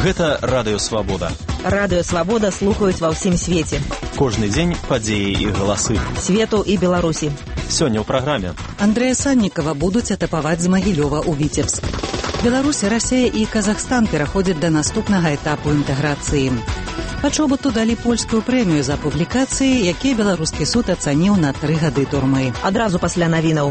Гэта Радыё Свабода. Радыё Свабода слухаюць ва ўсім свеце. Кожны дзень падзеі і галасы. Свету і Беларусі. Сёння ў праграме. Андрэя Саннікава будуць атапаваць з Магілёва ў Віцебск. Беларусь, Расія і Казахстан пераходзяць да наступнага этапу інтэграцыі. Пачобуту далі польскую прэмію за публікацыі, якія беларускі суд ацаніў на 3 гады турмы. Адразу пасля навінаў.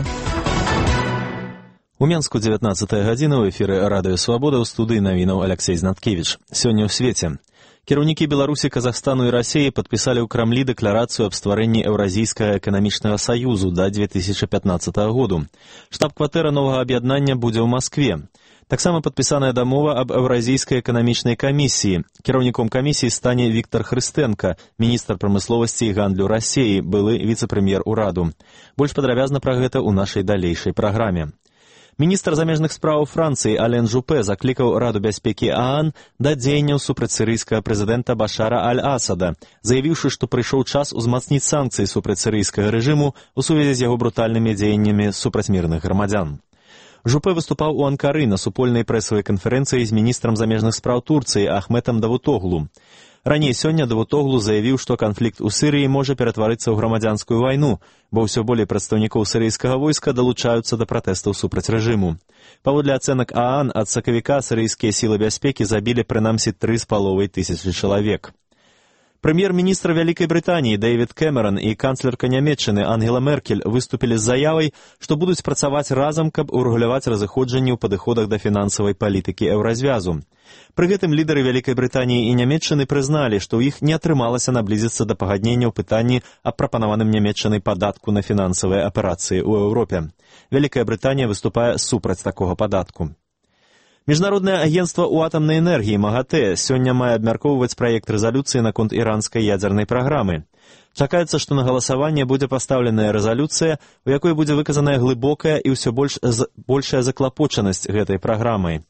У Менску 19 гадзіна ў эфіры Радыё Свабода, ў студыі навінаў Алексей Знаткевіч. Сёння ў свеце. Кіраўнікі Беларусі, Казахстану і Расіі падпісалі ў Крамлі дэкларацыю аб стварэнні Еўразійскага эканамічнага саюзу да 2015 году. Штаб-кватэра новага аб'яднання будзе ў Маскве. Таксама падпісаная дамова аб Еўразійскай эканамічнай камісіі. Кіраўніком камісіі стане Віктор Хрыстэнка, міністр прамысловасці і гандлю Расіі, былы віцэ-прэм'ер ураду. Больш падрабязна пра гэта ў нашай далейшай праграме. Міністр замежных спраў Францыі Ален Жупе заклікаў Раду бяспекі ААН да дзеянняў супраць сірыйскага прэзідэнта Башара Аль-Асада, заявіўшы, што прыйшоў час узмацніць санкцыі супраць сірыйскага рэжыму ў сувязі з яго брутальнымі дзеяннямі супраць мірных грамадзян. Жупе выступаў у Анкары на супольнай прэсавай канферэнцыі з міністрам замежных спраў Турцыі Ахметам Давутоглу. Раней сёння Давутоглу заявіў, што канфлікт у Сірыі можа ператварыцца ў грамадзянскую вайну, бо ўсё болей прадстаўнікоў сірыйскага войска далучаюцца да пратэстаў супраць рэжыму. Паводле ацэнак ААН, ад сакавіка сірыйскія сілы бяспекі забілі прынамсі 3500 чалавек. Прэм'ер-міністр Вялікай Брытаніі Дэвід Кэмерон і канцлерка Нямецчыны Ангела Меркель выступілі з заявай, што будуць працаваць разам, каб урэгуляваць разыходжанні ў падыходах да фінансавай палітыкі еўразвязу. Пры гэтым лідары Вялікай Брытаніі і Нямецчыны прызналі, што ў іх не атрымалася наблізіцца да пагаднення ў пытанні аб прапанаваным Нямецчынай падатку на фінансавыя аперацыі ў Еўропе. Вялікая Брытанія выступае супраць такога падатку. Міжнароднае агенцтва ў атамнай энергіі МАГАТЭ сёння мае абмяркоўваць праект рэзалюцыі наконт іранскай ядзернай праграмы. Чакаецца, што на галасаванне будзе пастаўленая рэзалюцыя, у якой будзе выказаная глыбокая і ўсё большая заклапочанасць гэтай праграмай.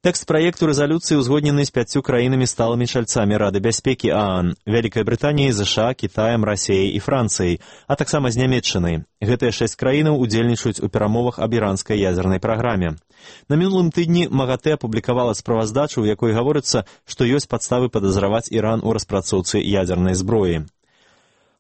Тэкст праекту рэзалюцыі ўзгоднены з 5 краінамі сталымі чальцамі Рады бяспекі ААН, Вялікай Брытаніяй, ЗША, Кітаем, Расіяй і Францыяй, а таксама з Нямецчынай. Гэтыя 6 краінаў удзельнічаюць у перамовах аб іранскай ядзернай праграме. На мінулым тыдні МАГАТЭ апублікавала справаздачу, у якой гаворыцца, што ёсць падставы падазраваць Іран у распрацоўцы ядзернай зброі.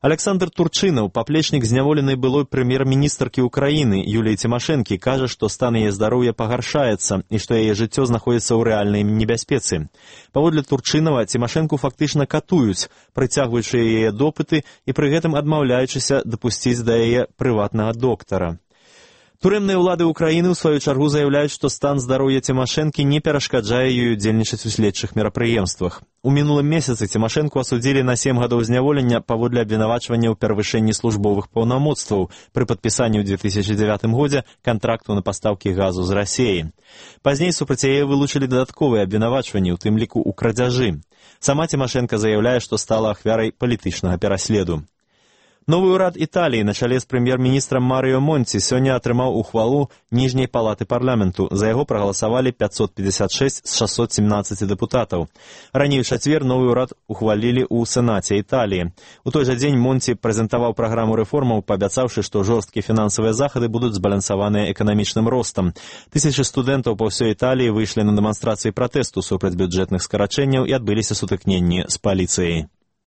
Александр Турчынаў, паплечнік зняволенай былой прэм'ер-міністркі Украіны Юліі Цімашэнкі, кажа, што стан яе здароўя пагаршаецца і што яе жыццё знаходзіцца ў рэальнай небяспецы. Паводле Турчынава, Цімашэнку фактычна катуюць, прыцягваючы яе допыты і пры гэтым адмаўляючыся дапусціць да яе прыватнага доктара. Турэмныя ўлады Украіны, у сваю чаргу, заяўляюць, што стан здароўя Цімашэнкі не перашкаджае ёй удзельнічаць у следчых мерапрыемствах. У мінулым месяцы Цімашэнку асудзілі на 7 гадоў зняволення паводле абвінавачвання ў перавышэнні службовых паўнамоцтваў пры падпісанні ў 2009 годзе кантракту на пастаўкі газу з Расіі. Пазней супраць яе вылучылі дадатковыя абвінавачванні, у тым ліку ў крадзяжы. Сама Цімашэнка заяўляе, што стала ахвярай палітычнага пераследу. Новы ўрад Італіі на чале з прэм'ер-міністрам Марыё Монці сёння атрымаў ухвалу ніжняй палаты парламенту. За яго прагаласавалі 556 з 617 дэпутатаў. Раней у чацвер новы ўрад ухвалілі ў Сенаце Італіі. У той жа дзень Монці прэзентаваў праграму рэформаў, паабяцаўшы, што жорсткія фінансавыя захады будуць збалансаваныя эканамічным ростам. Тысячы студэнтаў па ўсёй Італіі выйшлі на дэманстрацыі пратэсту супраць бюджэтных скарачэнняў і адбыліся сутыкненні з паліцыяй.